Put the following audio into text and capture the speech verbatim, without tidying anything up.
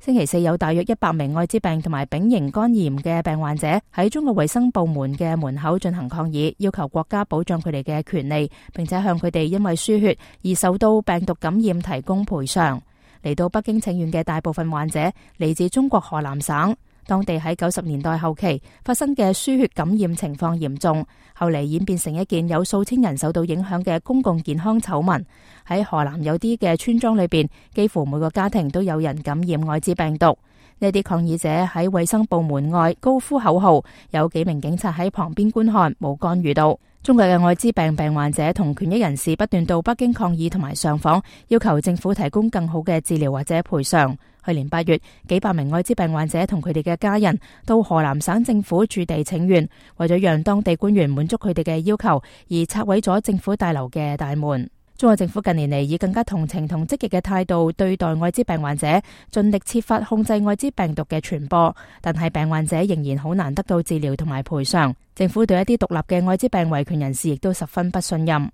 星期四有大約一百名艾滋病同埋丙型肝炎嘅病患者喺中國衛生部門嘅門口進行抗議，要求國家保障佢哋嘅權利，並且向佢哋因為輸血而受到病毒感染提供賠償。嚟到北京請願嘅大部分患者嚟自中國河南省。當地喺九十年代後期發生嘅輸血感染情況嚴重，後嚟演變成一件有數千人受到影響嘅公共健康醜聞。喺河南有啲嘅村莊裏邊，幾乎每個家庭都有人感染艾滋病毒。呢啲抗議者喺衛生部門外高呼口號，有幾名警察喺旁邊觀看，冇干預到。中國嘅艾滋病病患者同權益人士不斷到北京抗議同埋上訪，要求政府提供更好嘅治療或者賠償。去年八月，幾百名艾滋病患者同佢哋嘅家人到河南省政府駐地請願，為咗讓當地官員滿足佢哋嘅要求，而拆毀咗政府大樓嘅大門。中國政府近年嚟以更加同情同積極嘅態度對待艾滋病患者，盡力設法控制艾滋病毒嘅傳播，但係病患者仍然好難得到治療同埋賠償。政府對一啲獨立嘅艾滋病維權人士亦都十分不信任。